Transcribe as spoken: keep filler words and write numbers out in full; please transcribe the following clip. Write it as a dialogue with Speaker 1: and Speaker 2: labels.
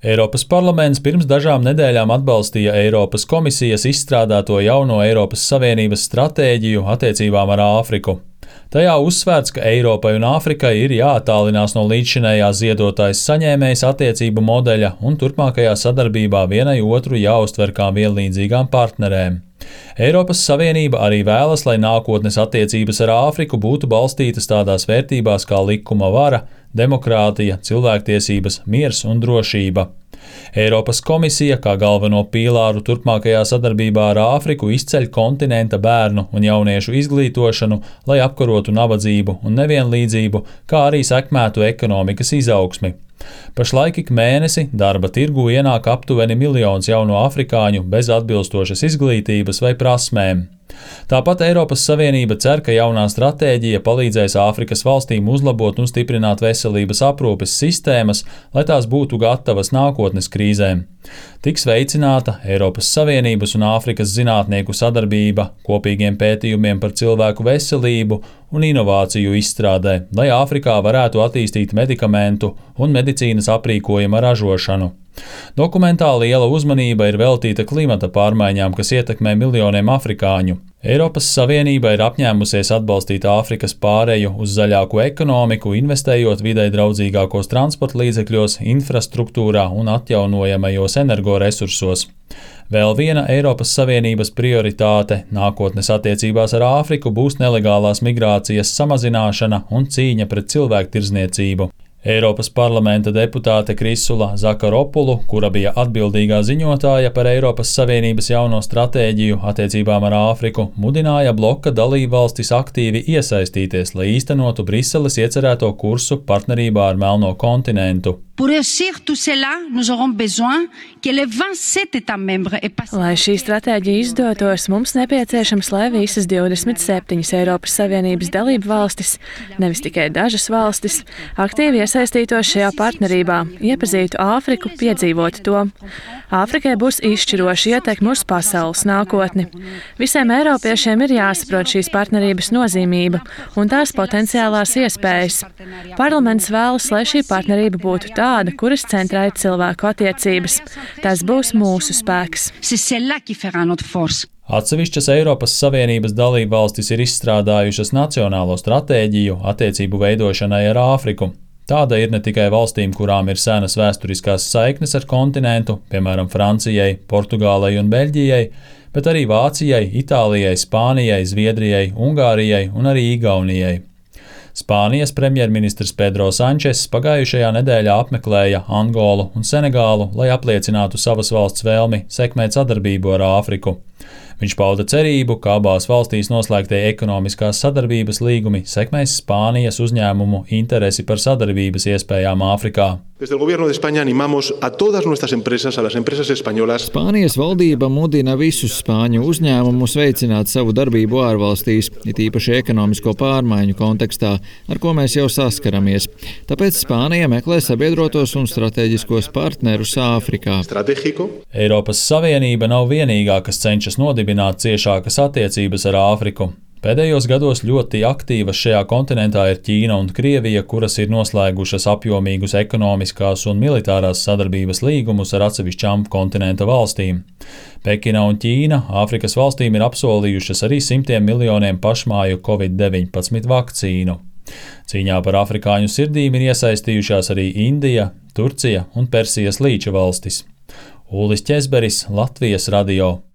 Speaker 1: Eiropas parlaments pirms dažām nedēļām atbalstīja Eiropas komisijas izstrādāto jauno Eiropas Savienības stratēģiju attiecībām ar Āfriku. Tajā uzsvērts, ka Eiropai un Āfrikai ir jāattālinās no līdzšinējā ziedotājas saņēmējas attiecību modeļa un turpmākajā sadarbībā vienai otru jāuztver kā vienlīdzīgām partnerēm. Eiropas Savienība arī vēlas, lai nākotnes attiecības ar Āfriku būtu balstītas tādās vērtībās kā likuma vara, demokrātija, cilvēktiesības, miers un drošība. Eiropas komisija kā galveno pīlāru turpmākajā sadarbībā ar Āfriku izceļ kontinenta bērnu un jauniešu izglītošanu, lai apkarotu nabadzību un nevienlīdzību, kā arī sekmētu ekonomikas izaugsmi. Pašlaik ik mēnesi darba tirgū ienāk aptuveni miljons jaunu afrikāņu bez atbilstošas izglītības vai prasmēm. Tāpat Eiropas Savienība cer, ka jaunā stratēģija palīdzēs Āfrikas valstīm uzlabot un stiprināt veselības aprūpes sistēmas, lai tās būtu gatavas nākotnes krīzēm. Tiks veicināta Eiropas Savienības un Āfrikas zinātnieku sadarbība kopīgiem pētījumiem par cilvēku veselību un inovāciju izstrādē, lai Āfrikā varētu attīstīt medikamentu un medicīnas aprīkojuma ražošanu. Dokumentā liela uzmanība ir veltīta klimata pārmaiņām, kas ietekmē miljoniem afrikāņu. Eiropas Savienība ir apņēmusies atbalstīt Āfrikas pāreju uz zaļāku ekonomiku, investējot videi draudzīgākos transporta līdzekļos, infrastruktūrā un atjaunojamajos energoresursos. Vēl viena Eiropas Savienības prioritāte nākotnes attiecībās ar Āfriku būs nelegālās migrācijas samazināšana un cīņa pret cilvēktirdzniecību. Eiropas parlamenta deputāte Krisula Zakaropulu, kura bija atbildīgā ziņotāja par Eiropas Savienības jauno stratēģiju attiecībām ar Āfriku, mudināja bloka dalībvalstis aktīvi iesaistīties, lai īstenotu Briseles iecerēto kursu partnerībā ar Melno kontinentu.
Speaker 2: Lai šī stratēģija izdotos, mums nepieciešams, lai visas divdesmit septiņas Eiropas Savienības dalību valstis, nevis tikai dažas valstis, aktīvi iesaistītos šajā partnerībā, iepazītu Āfriku, piedzīvotu to. Āfrikai būs izšķiroša ietekme uz pasaules nākotni. Visiem eiropiešiem ir jāsaprot šīs partnerības nozīmība un tās potenciālās iespējas. Parlaments vēlas, lai šī partnerība būtu tāda, kuras centrā ir cilvēku attiecības. Tas būs mūsu spēks.
Speaker 1: Atsevišķas Eiropas Savienības dalībvalstis ir izstrādājušas nacionālo stratēģiju attiecību veidošanai ar Āfriku. Tāda ir ne tikai valstīm, kurām ir senas vēsturiskās saiknes ar kontinentu, piemēram, Francijai, Portugālei un Beļģijai, bet arī Vācijai, Itālijai, Spānijai, Zviedrijai, Ungārijai un arī Igaunijai. Spānijas premjerministrs Pedro Sančes pagājušajā nedēļā apmeklēja Angolu un Senegālu, lai apliecinātu savas valsts vēlmi sekmēt sadarbību ar Āfriku. Viņš pauda cerību, ka abās valstīs noslēgtie ekonomiskās sadarbības līgumi sekmēs Spānijas uzņēmumu interesi par sadarbības iespējām Āfrikā.
Speaker 3: Spānijas valdība mudina visus spāņu uzņēmumus veicināt savu darbību ārvalstīs, it īpaši ekonomisko pārmaiņu kontekstā, ar ko mēs jau saskaramies. Tāpēc Spānija meklē sabiedrotos un strateģiskos partnerus Āfrikā.
Speaker 1: Eiropas Savienība nav vienīgā, kas cenšas nodibināt ciešākas attiecības ar Āfriku. Pēdējos gados ļoti aktīvas šajā kontinentā ir Ķīna un Krievija, kuras ir noslēgušas apjomīgus ekonomiskās un militārās sadarbības līgumus ar atsevišķām kontinenta valstīm. Pekina un Ķīna Āfrikas valstīm ir apsolījušas arī simtiem miljoniem pašmāju covid deviņpadsmit vakcīnu. Cīņā par afrikāņu sirdīm ir iesaistījušās arī Indija, Turcija un Persijas līča valstis. Ulis Ķezberis, Latvijas radio.